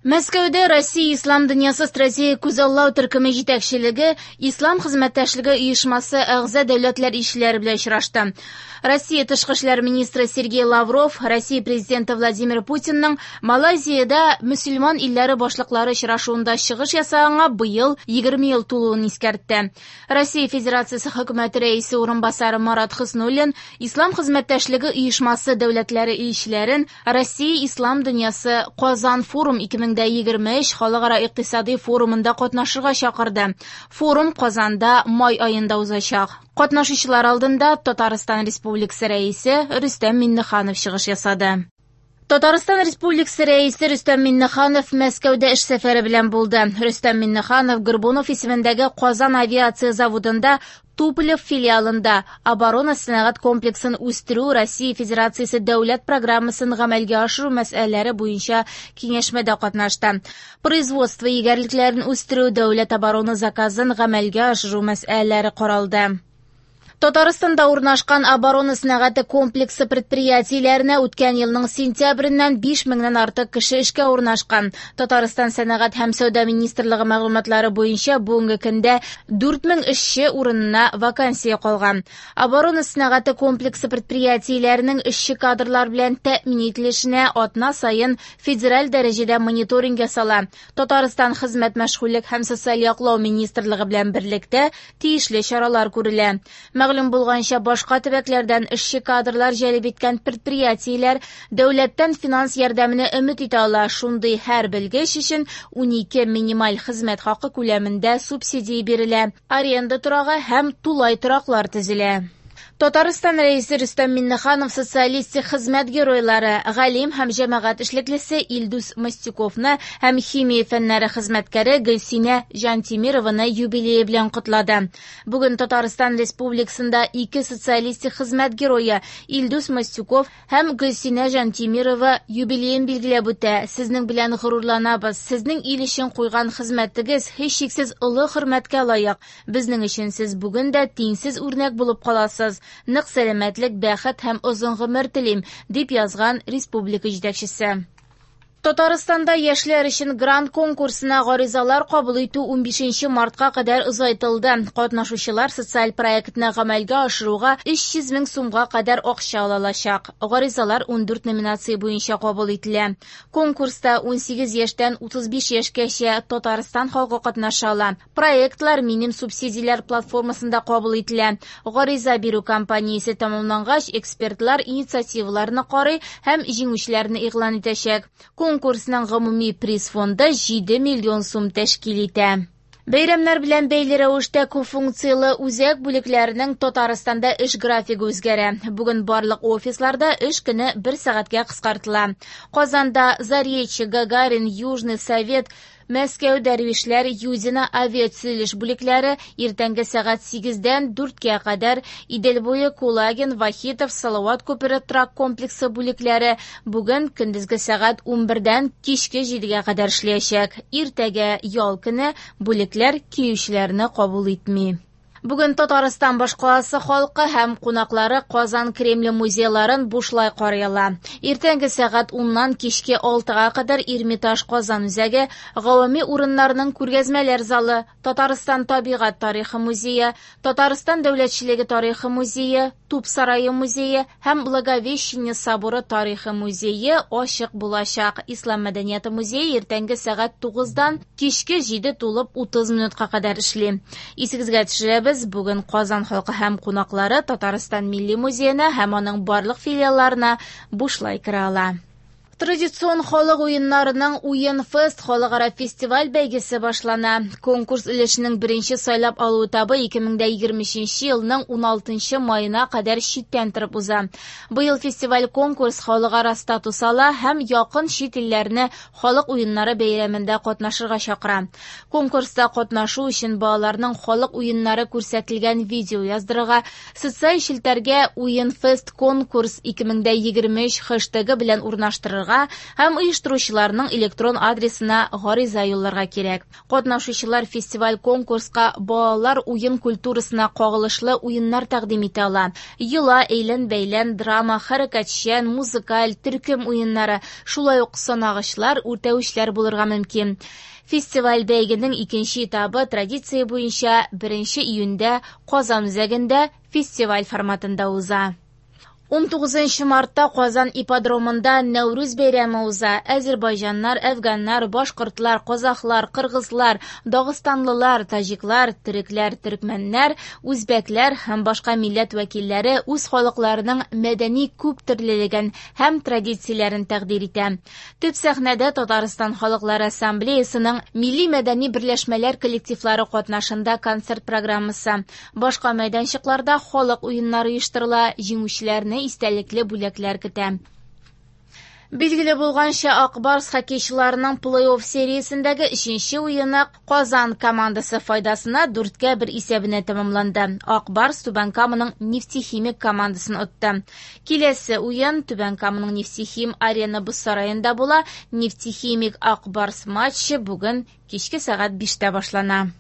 Мәскәүдә Россия Ислам дөньясы стратегик күзаллау төркеме җитәкчелеге Ислам хезмәттәшлеге оешмасы әгъза дәүләтләр илчеләре белән очрашты. Россия тышкы эшләр министры Сергей Лавров Россия президенты Владимир Путинның Малайзиядә мөселман илләре башлыклары очрашуында чыгыш ясаганга быел 20 ел тулуын искәртте. Россия Федерациясе хөкүмәте рәисе урынбасары Марат Хөснуллин Ислам хезмәттәшлеге оешмасы дәүләтләре илчеләрен Россия Ислам дөньясы Казан форум 2023 халыкара икътисади форумында катнашырга чакырды. Форум Казанда май аенда узачак. Катнашучылар алдында Татарстан Республикасы Рәисе Рөстәм Миңнеханов чыгыш ясады. Татарстан Республикасы Рәисе Рөстәм Миңнеханов Мәскәүдә эш сәфәре белән булды. Рөстәм Миңнеханов Горбунов исемендәге Казан авиация заводында Туполев филиалында оборона сәнәгать комплексын үстерү Россия Федерациясе дәүләт программасын гамәлгә ашыру мәсьәләләре буенча киңәшмәдә катнашты. Производство егәрлекләрен үстерү, дәүләт оборона заказын гамәлгә ашыру мәсьәләләре каралды. Татарстанда урнашкан оборона сәнәгате комплексы предприятиеләренә үткән елның сентябреннән 5 меңнән артык кеше эшкә урнашкан. Татарстан сәнәгать һәм сәүдә министрлыгы мәгълүматлары буенча бүгенге көндә 4000 эшче урынына вакансия калган. Оборона сәнәгате комплексы предприятиеләренең эшче кадрлар белән тәэмин ителешенә атна саен федераль дәрәҗәдә мониторинг ясала. Татарстан хезмәт мәшгульлек һәм социаль яклау министрлыгы белән берлектә тиешле чаралар күрелә. Мәгълүм булганча, башка төбәкләрдән эшче кадрлар җәлеп иткән предприятиеләр дәүләттән финанс ярдәменә өмет итә ала. Шундый һәр белгеч өчен 12 минималь хезмәт хакы күләмендә субсидия бирелә. Аренда торагы һәм тулай тораклар төзелә. Татарстан Рәисе Рөстәм Миңнеханов социалистик хезмәт геройлары, галим һәм җәмәгать эшлеклесе Илдус Мостюковны һәм химия фәннәре хезмәткәре Гөлсинә Җантимированы юбилее белән котлады. Бүген Татарстан Республикасында ике социалистик хезмәт герое Илдус Мостюков һәм Гөлсинә Җантимирова юбилеен билгеләп үтә. Сезнең белән горурланабыз. Сезнең ил өчен куйган хезмәтегез һичшиксез олы хөрмәткә лаек. Безнең өчен сез бүген дә тиңсез үрнәк булып каласыз. Нык сәламәтлек, бәхет һәм озын гомер телим, дип язган республика җитәкчесе. Татарстанда яшьләр өчен грант конкурсына гаризалар кабул итү 15 мартка кадәр озайтылды. Катнашучылар социаль проектны гамәлгә ашыруга 300 мең сумга кадәр акча ала алачак. Гаризалар 14 номинация буенча кабул ителә. Конкурста 18 яшьтән 35 яшькәчә Татарстан халкы катнаша ала. Проектлар Минем субсидияләр платформасында кабул ителә. Гариза бирү кампаниясе тәмамлангач, экспертлар инициативаларны карый һәм җиңүчеләрне игълан итәчәк. Конкурсның гомуми приз фонды 7 миллион сум тәшкил итә. Бәйрәмнәр белән бәйле рәвештә күп функцияле үзәк бүлекләренең Татарстанда эш графигы үзгәрә. Бүген барлык офисларда эш көне бер сәгатькә кыскартыла. Казанда Заречье, Гагарин, Южный, Совет, Мәскәү, Дәрвишләр, Юдино авиатөзелеш бүлекләре иртәнге сәгать 8-дән 4-кә кадәр, Идел буе, Кулагин, Вахитов, Салават күпере торак комплексы бүлекләре бүген көндезге сәгать 11-дән кичке 7-гә кадәр эшләячәк. Иртәгә ял көне, бүлекләр килүчеләрне кабул итми. Бүген Татарстан башкаласы халкы һәм кунаклары Казан Кремле музейларын бушлай карый ала. Иртәнге сәгать 10-нан кичке 6-га кадәр Эрмитаж Казан үзәге, гавами урыннарның күргәзмәләр залы, Татарстан табигать тарихы музее, Татарстан дәүләтчелеге тарихы музее, Туп сарае музее һәм Благовещение соборы тарихы музее ачык булачак. Ислам мәдәнияте музее иртәнге сәгать 9-дан кичке 7 тулып 30 минутка кадәр эшли. Исегезгә төшерәбез, бүген Казан халкы һәм кунаклары Татарстан Милли музеена һәм аның барлык филиалларына бушлай керә ала. Традицион халык уеннарының Уен фест халыкара фестиваль бәйгесе башлана. Конкурс өлешенең беренче сайлап алу этабы 2023 елның 16 маена кадәр читтән торып уза. Быел фестиваль конкурс халыкара статус ала һәм якын чит илләрне халык уеннары бәйрәмендә катнашырга чакыра. Конкурста катнашу өчен балаларның халык уеннары күрсәтелгән видео яздырырга, социаль челтәргә Уен фест конкурс 2023 хэштегы белән урнаштырырга язылырга һәм оештыручыларның электрон адресына гариза юлларга кирәк. Катнашучылар фестиваль-конкурска балалар уен культурасына кагылышлы уеннар тәкъдим итә ала. Йола, әйлән-бәйлән, драма, хәрәкәтчән, музыкаль, төркем уеннары, шулай ук санагычлар, үртәвечләр булырга мөмкин. Фестиваль-бәйгенең икенче этабы традиция буенча 1 июньдә Казан үзәгендә фестиваль форматында уза. 19 мартта Казан ипподромында Нәүрүз бәйрәме уза. Әзербайҗаннар, әфганнар, башкортлар, казахлар, кыргызлар, дагыстанлылар, таҗиклар, төрекләр, төркмәннәр, үзбәкләр һәм башка милләт вәкилләре үз халыкларының мәдәни күптөрлелеген һәм традицияләрен тәкъдир итә. Төп сәхнәдә Татарстан халыклары ассамблеясының милли-мәдәни берләшмәләр коллективлары катнашында концерт программасы. Башка мәйданчыкларда халык уеннары оештырыла, җиңүчеләрне истәлекле бүләкләр көтә. Билгеле булганча, Ак Барс хоккейчыларының плей-офф сериясендәге өченче уены Казан командасы файдасына 4-1 исәбенә тәмамланды. Ак Барс Түбән Каманың Нефтехимик командасын отты. Киләсе уен Түбән Каманың Нефтехим арена боз сараенда була. Нефтехимик Ак Барс матчы бүген кичке сәгать 5-тә башлана.